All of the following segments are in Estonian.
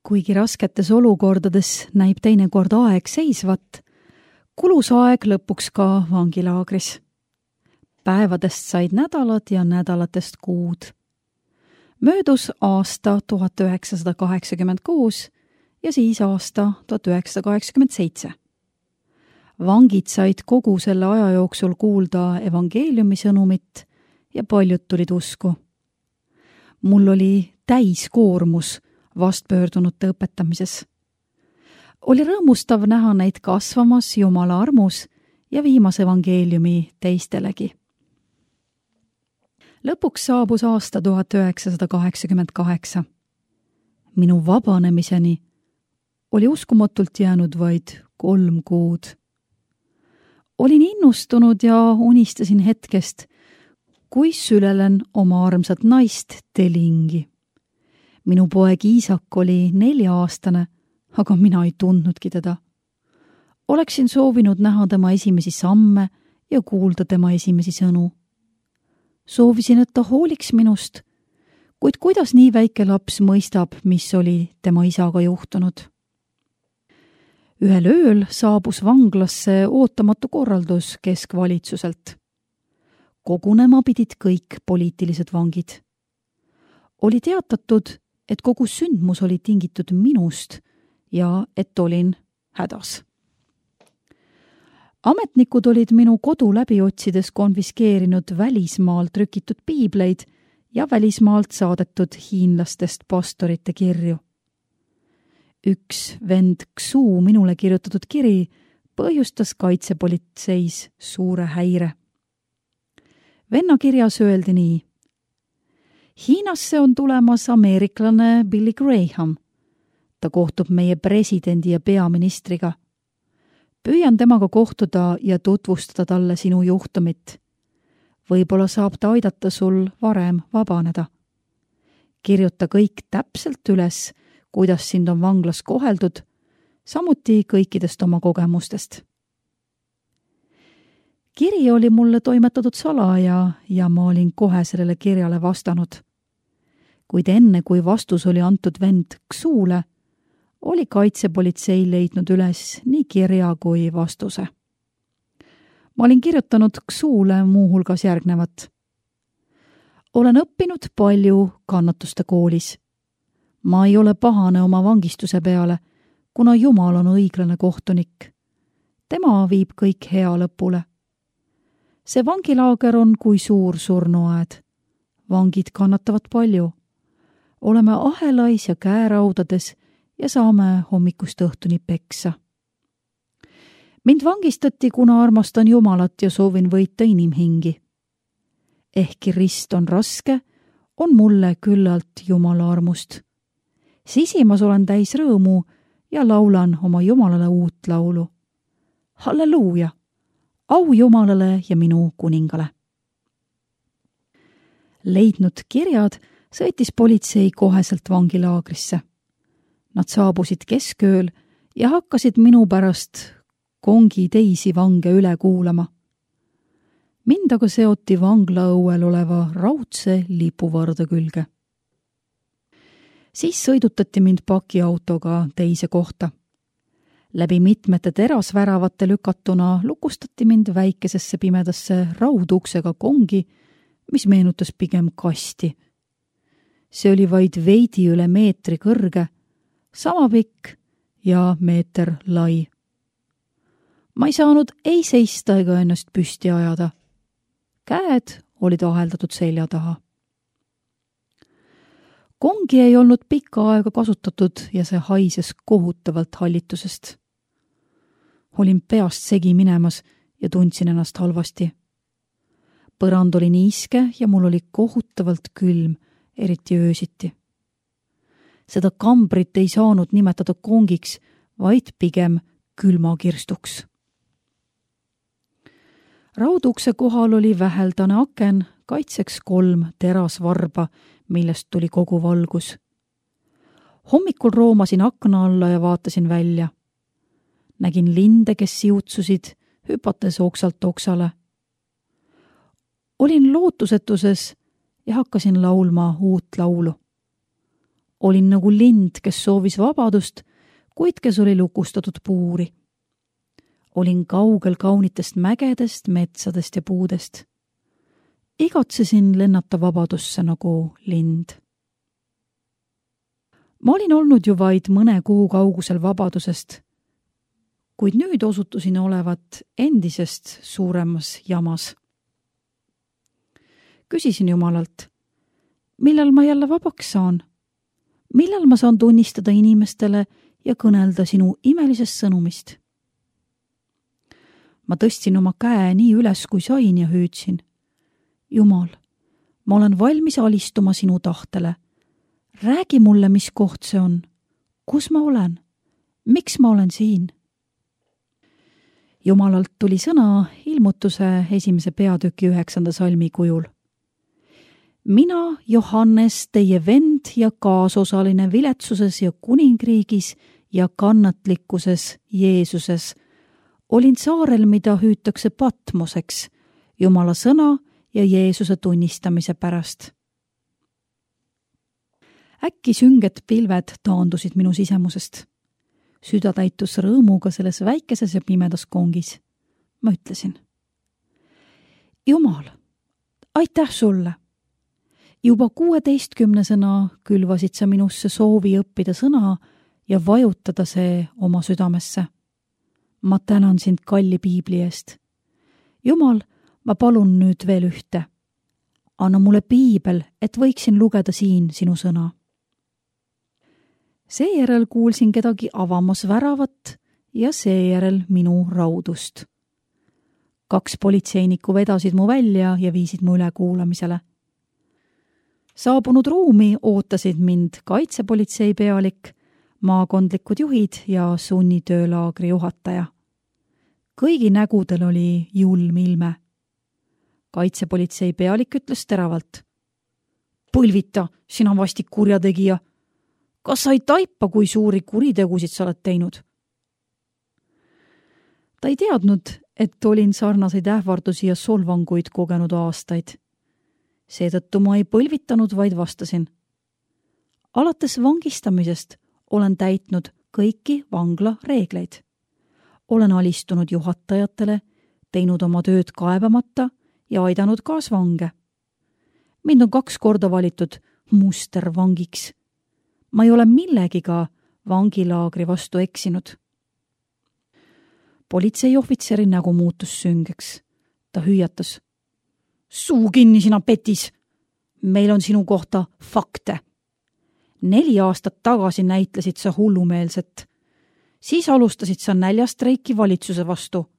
Kuigi rasketes olukordades näib teinekord aeg seisvat, kulus aeg lõpuks ka vangilaagris. Päevadest said nädalad ja nädalatest kuud. Möödus aasta 1986 ja siis aasta 1987. Vangid said kogu selle aja jooksul kuulda evangeeliumi sõnumit ja paljud tulid usku. Mul oli täiskoormus vastpöördunute õpetamises. Oli rõõmustav näha neid kasvamas Jumala armus ja viimas evangeeliumi teistelegi. Lõpuks saabus aasta 1988. Minu vabanemiseni oli uskumatult jäänud vaid 3 kuud. Olin innustunud ja unistasin hetkest, kui sülelen oma armsat naist Telingi. Minu poeg Iisak oli 4-aastane, aga mina ei tundnudki teda. Oleksin soovinud näha tema esimesi samme ja kuulda tema esimesi sõnu. Soovisin, et ta hooliks minust, kuid kuidas nii väike laps mõistab, mis oli tema isaga juhtunud? Ühel ööl saabus vanglasse ootamatu korraldus keskvalitsuselt. Kogunema pidid kõik poliitilised vangid. Oli teatatud, et kogu sündmus oli tingitud minust ja et olin hädas. Ametnikud olid minu kodu läbi otsides konfiskeerinud välismaal trükitud piibleid ja välismaalt saadetud hiinlastest pastorite kirju. Üks vend Xu minule kirjutatud kiri põhjustas kaitsepolitseis suure häire. Venna kirjas öeldi nii: Hiinasse on tulemas ameeriklane Billy Graham. Ta kohtub meie presidendi ja peaministriga. Püüan temaga kohtuda ja tutvustada talle sinu juhtumit. Võib-olla saab ta aidata sul varem vabaneda. Kirjuta kõik täpselt üles, kuidas sind on vanglas koheldud, samuti kõikidest oma kogemustest. Kiri oli mulle toimetatud salaja ja ma olin kohe sellele kirjale vastanud. Kuid enne, kui vastus oli antud vend Xule, oli kaitsepolitsei leidnud üles nii kirja kui vastuse. Ma olin kirjutanud Xule muuhulgas järgnevat. Olen õppinud palju kannatuste koolis. Ma ei ole pahane oma vangistuse peale, kuna Jumal on õiglane kohtunik. Tema viib kõik hea lõpule. See vangilaager on kui suur surnuaed. Vangid kannatavad palju. Oleme ahelais ja käeraudades ja saame hommikust õhtuni peksa. Mind vangistati, kuna armastan Jumalat ja soovin võita inimhingi. Ehkki rist on raske, on mulle küllalt Jumala armust. Sisimas olen täis rõõmu ja laulan oma Jumalale uut laulu. Halleluuja! Au Jumalale ja minu kuningale. Leidnud kirjad sõitis politsei koheselt vangilaagrisse. Nad saabusid keskööl ja hakkasid minu pärast kongi teisi vange üle kuulama. Mind aga seoti vanglaõuel oleva raudse lipuvarda külge. Siis sõidutati mind pakiautoga teise kohta. Läbi mitmete terasväravate lükatuna lukustati mind väikesesse pimedasse rauduksega kongi, mis meenutas pigem kasti. See oli vaid veidi üle meetri kõrge, sama pikk ja meeter lai. Ma ei saanud ei seista ega ennast püsti ajada. Käed olid aheldatud selja taha. Kongi ei olnud pikka aega kasutatud ja see haises kohutavalt hallitusest. Olin peast segi minemas ja tundsin ennast halvasti. Põrand oli niiske ja mul oli kohutavalt külm, eriti öösiti. Seda kambrit ei saanud nimetada kongiks, vaid pigem külmakirstuks. Raudukse kohal oli väheldane aken, kaitseks 3 terasvarba, millest tuli kogu valgus. Hommikul roomasin akna alla ja vaatasin välja. Nägin linde, kes siutsusid, hüpates oksalt oksale. Olin lootusetuses ja hakkasin laulma uut laulu. Olin nagu lind, kes soovis vabadust, kuid kes oli lukustatud puuri. Olin kaugel kaunitest mägedest, metsadest ja puudest. Igatsesin lennata vabadusse nagu lind. Ma olin olnud ju vaid mõne kuu kaugusel vabadusest, kuid nüüd osutusin olevat endisest suuremas jamas. Küsisin Jumalalt, millal ma jälle vabaks saan? Millal ma saan tunnistada inimestele ja kõnelda sinu imelisest sõnumist? Ma tõstsin oma käe nii üles, kui sain ja hüüdsin. Jumal, ma olen valmis alistuma sinu tahtele. Räägi mulle, mis koht see on. Kus ma olen? Miks ma olen siin? Jumalalt tuli sõna ilmutuse 1. peatüki 9. salmi kujul. Mina, Johannes, teie vend ja kaasosaline viletsuses ja kuningriigis ja kannatlikkuses Jeesuses, olin saarel, mida hüütakse Patmoseks, Jumala sõna ja Jeesuse tunnistamise pärast. Äkki sünged pilved taandusid minu sisemusest. Süda täitus rõõmuga selles väikeses ja pimedas kongis. Ma ütlesin. Jumal, aitäh sulle! Juba 16-sena külvasid sa minusse soovi õppida sõna ja vajutada see oma südamesse. Ma tänan sind kalli piibli eest. Jumal, ma palun nüüd veel ühte. Anna mulle piibel, et võiksin lugeda siin sinu sõna. Seejärel kuulsin kedagi avamas väravat ja seejärel minu raudust. 2 politseinikku vedasid mu välja ja viisid mu üle kuulamisele. Saabunud ruumi ootasid mind kaitsepolitsei pealik, maakondlikud juhid ja sunnitöölaagri juhataja. Kõigi nägudel oli julm ilme. Kaitsepolitsei pealik ütles teravalt. Põlvita, sina vastik kurjategija. Kas sa ei taipa, kui suuri kuritegusid sa oled teinud? Ta ei teadnud, et olin sarnaseid ähvardusi ja solvanguid kogenud aastaid. Seetõttu ma ei põlvitanud, vaid vastasin. Alates vangistamisest olen täitnud kõiki vangla reegleid. Olen alistunud juhatajatele, teinud oma tööd kaebamata ja aidanud kaasvange. Mind on 2 korda valitud mustervangiks. Ma ei ole millegiga vangilaagri vastu eksinud. Politseiohvitseri nägu muutus süngeks. Ta hüüatas. Suu kinni, sina petis! Meil on sinu kohta fakte. 4 aastat tagasi näitlesid sa hullumeelset. Siis alustasid sa näljastreiki valitsuse vastu.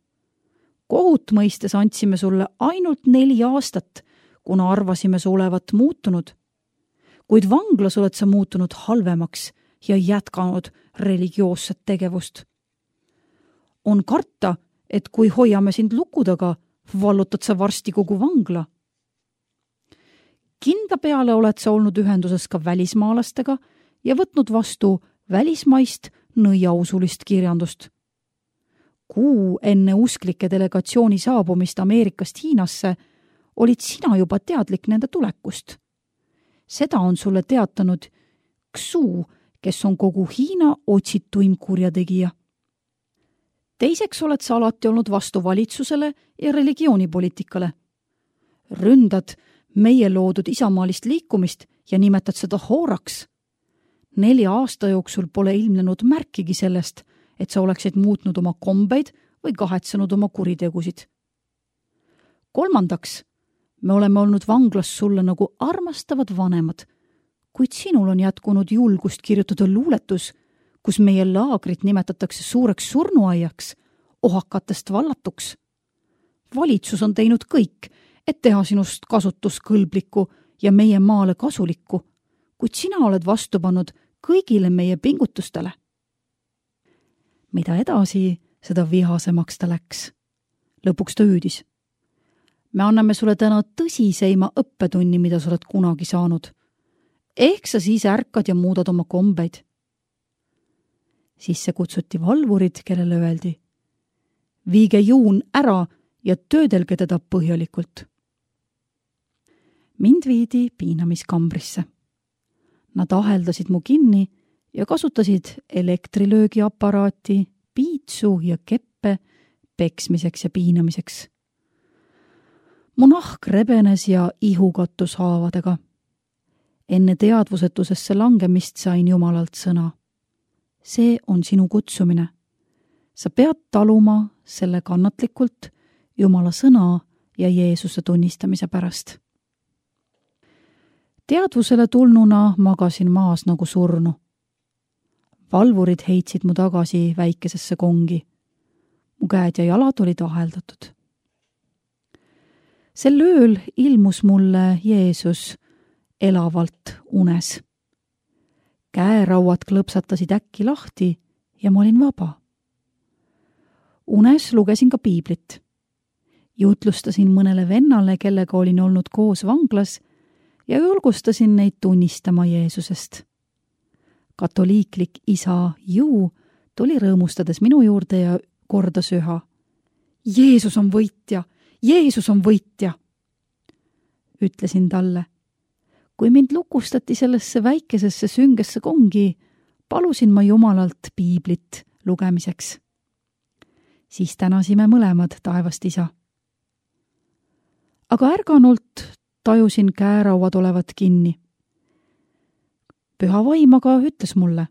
Kohut mõistes andsime sulle ainult 4 aastat, kuna arvasime su olevat muutunud. Kuid vanglas oled sa muutunud halvemaks ja jätkanud religioosset tegevust. On karta, et kui hoiame sind luku taga, vallutad sa varsti kogu vangla. Kindla peale oled sa olnud ühenduses ka välismaalastega ja võtnud vastu välismaist nõiausulist kirjandust. Kuu enne usklike delegatsiooni saabumist Ameerikast Hiinasse olid sina juba teadlik nende tulekust. Seda on sulle teatanud Xu, kes on kogu Hiina otsituim kurjategija. Teiseks oled sa alati olnud vastu valitsusele ja religioonipoliitikale. Ründad meie loodud isamaalist liikumist ja nimetad seda hooraks. 4 aasta jooksul pole ilmnenud märkigi sellest, et sa oleksid muutnud oma kombeid või kahetsenud oma kuritegusid. Kolmandaks, me oleme olnud vanglas sulle nagu armastavad vanemad, kuid sinul on jätkunud julgust kirjutada luuletus, kus meie laagrit nimetatakse suureks surnuaiaks, ohakatest vallatuks. Valitsus on teinud kõik, et teha sinust kasutuskõlblikku ja meie maale kasulikku, kuid sina oled vastu pannud kõigile meie pingutustele. Mida edasi, seda vihasemaks ta läks. Lõpuks ta hüüdis. Me anname sulle täna tõsiseima õppetunni, mida sa oled kunagi saanud. Ehk sa siis ärkad ja muudad oma kombeid. Sisse kutsuti valvurid, kellele öeldi. Viige juun ära ja töödelge teda põhjalikult. Mind viidi piinamiskambrisse. Nad aheldasid mu kinni ja kasutasid elektrilöögiaparaati, piitsu ja keppe peksmiseks ja piinamiseks. Mu nahk rebenes ja ihu kattus haavadega. Enne teadvusetusesse langemist sain Jumalalt sõna. See on sinu kutsumine. Sa pead taluma selle kannatlikult Jumala sõna ja Jeesuse tunnistamise pärast. Teadvusele tulnuna magasin maas nagu surnu. Valvurid heitsid mu tagasi väikesesse kongi. Mu käed ja jalad olid aheldatud. Sel ööl ilmus mulle Jeesus elavalt unes. Käerauad klõpsatasid äkki lahti ja ma olin vaba. Unes lugesin ka piiblit. Jutlustasin mõnele vennale, kellega olin olnud koos vanglas ja julgustasin neid tunnistama Jeesusest. Katoliiklik isa Ju tuli rõõmustades minu juurde ja kordas üha. Jeesus on võitja! Jeesus on võitja! Ütlesin talle. Kui mind lukustati sellesse väikesesse süngesse kongi, palusin ma Jumalalt piiblit lugemiseks. Siis tänasime mõlemad taevast isa. Aga ärganult tajusin käerauad olevat kinni. Püha vaim aga ütles mulle,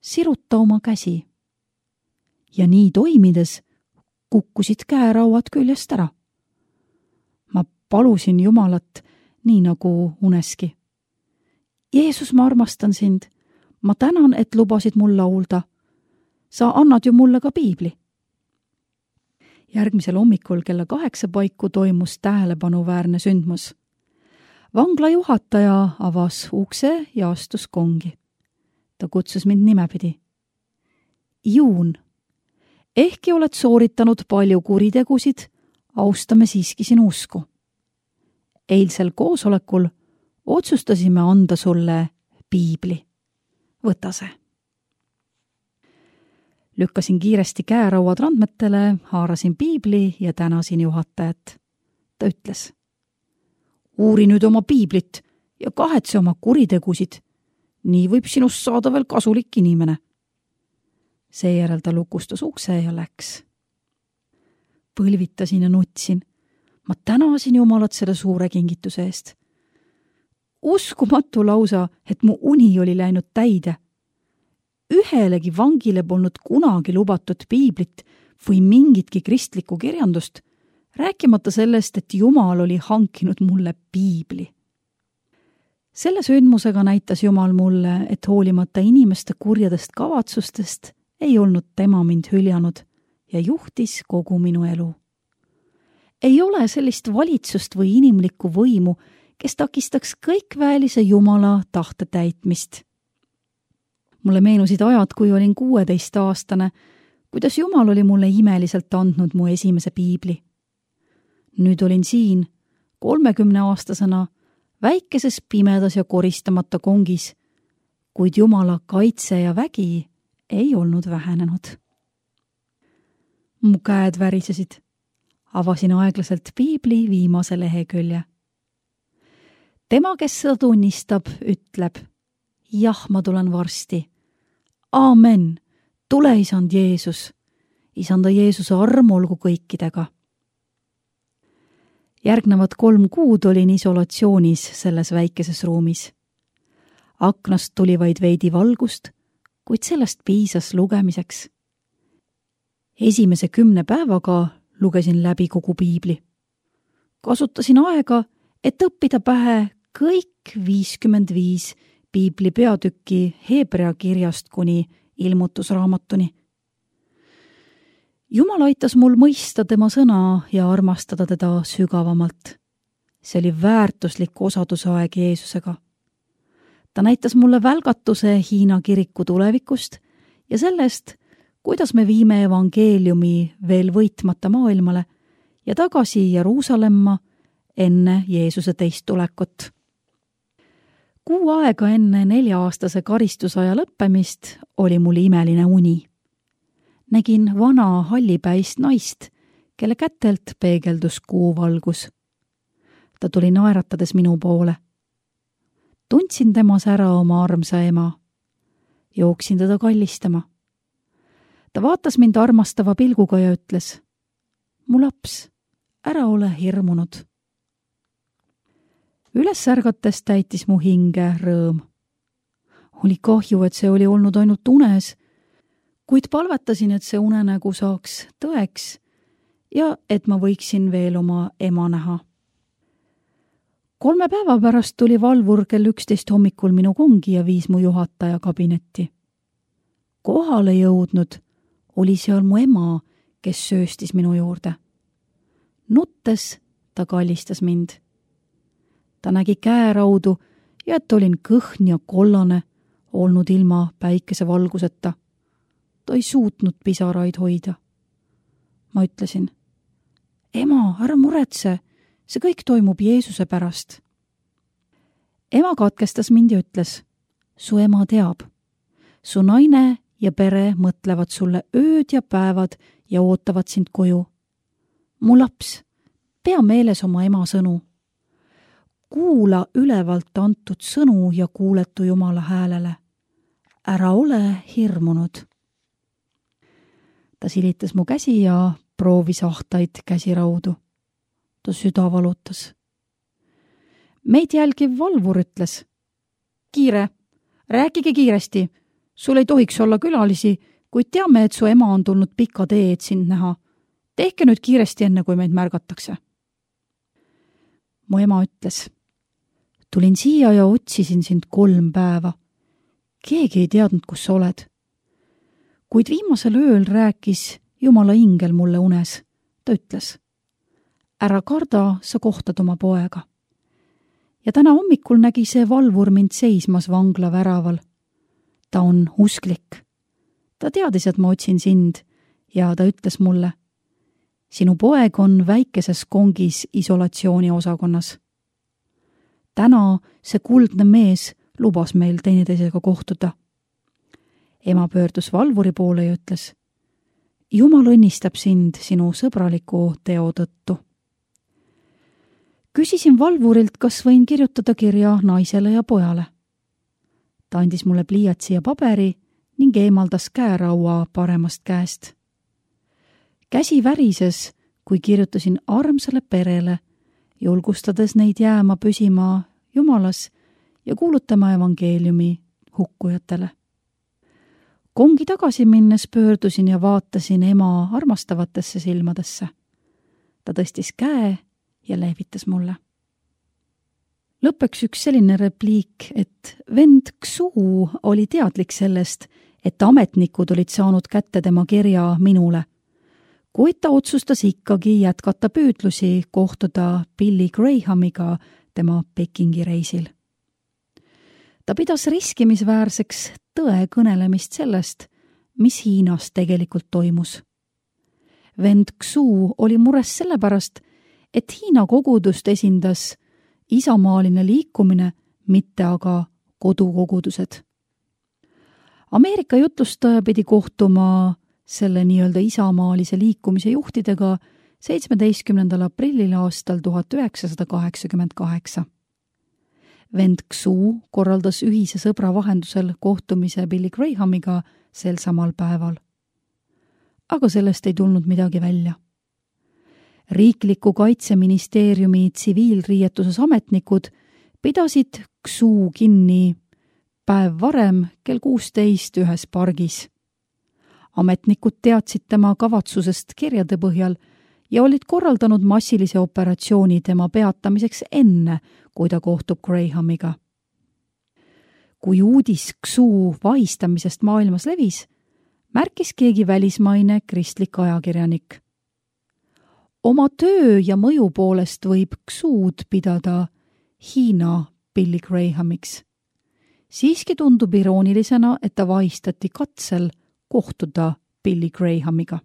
siruta oma käsi. Ja nii toimides kukkusid käerauad küljest ära. Ma palusin Jumalat nii nagu uneski. Jeesus, ma armastan sind. Ma tänan, et lubasid mul laulda. Sa annad ju mulle ka piibli. Järgmisel hommikul kella 8 paiku toimus tähelepanuväärne sündmus. Vangla juhataja avas ukse ja astus kongi. Ta kutsus mind nimepidi. Juun, ehkki oled sooritanud palju kuritegusid, austame siiski sinu usku. Eilsel koosolekul otsustasime anda sulle piibli. Võta see. Lükkasin kiiresti käerauad randmetele, haarasin piibli ja tänasin juhatajat. Ta ütles, uuri nüüd oma piiblit ja kahetse oma kuritegusid. Nii võib sinust saada veel kasulik inimene. Seejärel ta lukustas ukse ja läks. Põlvitasin ja nutsin. Ma tänasin Jumalat selle suure kingituse eest. Uskumatu lausa, et mu uni oli läinud täide. Ühelegi vangile polnud kunagi lubatud piiblit või mingitki kristlikku kirjandust, rääkimata sellest, et Jumal oli hankinud mulle piibli. Selle sündmusega näitas Jumal mulle, et hoolimata inimeste kurjadest kavatsustest ei olnud tema mind hüljanud ja juhtis kogu minu elu. Ei ole sellist valitsust või inimlikku võimu, kes takistaks kõikväelise Jumala tahte täitmist. Mulle meenusid ajad, kui olin 16-aastane, kuidas Jumal oli mulle imeliselt andnud mu esimese piibli. Nüüd olin siin, 30-aastasena, väikeses pimedas ja koristamata kongis, kuid Jumala kaitse ja vägi ei olnud vähenenud. Mu käed värisesid. Avasin aeglaselt piibli viimase lehekülje. Tema, kes seda tunnistab, ütleb, jah, ma tulen varsti. Aamen, tule, isand Jeesus. Isanda Jeesuse arm olgu kõikidega. Järgnevad 3 kuud olin isolatsioonis selles väikeses ruumis. Aknast tuli vaid veidi valgust, kuid sellest piisas lugemiseks. Esimese 10 päevaga lugesin läbi kogu piibli. Kasutasin aega, et õppida pähe kõik 55 piibli peatükki Hebrea kirjast kuni ilmutusraamatuni. Jumal aitas mul mõista tema sõna ja armastada teda sügavamalt. See oli väärtuslik osadusaeg Jeesusega. Ta näitas mulle välgatuse Hiina kiriku tulevikust ja sellest, kuidas me viime evangeeliumi veel võitmata maailmale ja tagasi Jeruusalemma enne Jeesuse teist tulekut. 6 aega enne 4-aastase karistusaja lõppemist oli mul imeline uni. Nägin vana hallipäist naist, kelle kätelt peegeldus kuuvalgus. Ta tuli naeratades minu poole. tundsin temas ära oma armsa ema. Jooksin teda kallistama. Ta vaatas mind armastava pilguga ja ütles, mu laps, ära ole hirmunud. Üles ärgates täitis mu hinge rõõm. Oli kahju, et see oli olnud ainult unes, kuid palvetasin, et see unenägu saaks tõeks ja et ma võiksin veel oma ema näha. 3 päeva pärast tuli valvur kell 11 hommikul minu kongi ja viis mu juhataja kabinetti. Kohale jõudnud oli seal mu ema, kes sööstis minu juurde. Nuttes ta kallistas mind. Ta nägi käeraudu ja et olin kõhn ja kollane, olnud ilma päikesevalguseta. Ta ei suutnud pisaraid hoida. Ma ütlesin, ema, ära muretse, see kõik toimub Jeesuse pärast. Ema katkestas mind ja ütles, su ema teab. Su naine ja pere mõtlevad sulle ööd ja päevad ja ootavad sind koju. Mu laps, pea meeles oma ema sõnu. Kuula ülevalt antud sõnu ja kuuletu Jumala häälele. Ära ole hirmunud. Ta silitas mu käsi ja proovis ahtaid käsiraudu. Ta süda valutas. Meid jälgiv valvur ütles, kiire, rääkige kiiresti. Sul ei tohiks olla külalisi, kuid teame, et su ema on tulnud pika tee, et sind näha. Tehke nüüd kiiresti enne, kui meid märgatakse. Mu ema ütles, tulin siia ja otsisin sind 3 päeva. Keegi ei teadnud, kus sa oled. Kuid viimasel ööl rääkis Jumala ingel mulle unes. Ta ütles, ära karda, sa kohtad oma poega. Ja täna hommikul nägi see valvur mind seismas vangla väraval. Ta on usklik. Ta teadis, et ma otsin sind ja ta ütles mulle, sinu poeg on väikeses kongis isolatsiooniosakonnas. Täna see kuldne mees lubas meil teineteisega kohtuda. Ema pöördus valvuri poole ja ütles, Jumal õnnistab sind sinu sõbraliku teo tõttu. Küsisin valvurilt, kas võin kirjutada kirja naisele ja pojale. Ta andis mulle pliiatsi ja paberi ning eemaldas käeraua paremast käest. Käsi värises, kui kirjutasin armsale perele, julgustades neid jääma püsima Jumalas ja kuulutama evangeeliumi hukkujatele. Kongi tagasi minnes pöördusin ja vaatasin ema armastavatesse silmadesse. Ta tõstis käe ja lehvitas mulle. Lõppeks üks selline repliik, et vend Ksu oli teadlik sellest, et ametnikud olid saanud kätte tema kirja minule, kuid ta otsustas ikkagi jätkata püüdlusi kohtuda Billy Grahamiga tema Pekingi reisil. Ta pidas riskimisväärseks tõe kõnelemist sellest, mis Hiinas tegelikult toimus. Vend Ksu oli mures sellepärast, et Hiina kogudust esindas isamaaline liikumine, mitte aga kodukogudused. Ameerika jutlustaja pidi kohtuma selle nii-öelda isamaalise liikumise juhtidega 17. aprillil aastal 1988. Vend Ksu korraldas ühise sõbra vahendusel kohtumise Billy Grahamiga sel samal päeval. Aga sellest ei tulnud midagi välja. Riikliku kaitseministeeriumi tsiviilriietuses ametnikud pidasid Ksu kinni päev varem kell 16 ühes pargis. Ametnikud teadsid tema kavatsusest kirjade põhjal ja olid korraldanud massilise operatsiooni tema peatamiseks enne, kui ta kohtub Grahamiga. Kui uudis Ksu vahistamisest maailmas levis, märkis keegi välismaine kristlik ajakirjanik. Oma töö ja mõju poolest võib Ksud pidada Hiina Billy Grahamiks. Siiski tundub iroonilisena, et ta vahistati katsel kohtuda Billy Grahamiga.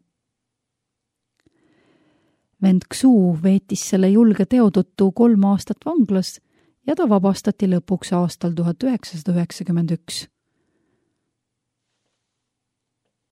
Vend Ksu veetis selle julge teo tõttu 3 aastat vanglas ja ta vabastati lõpuks aastal 1991.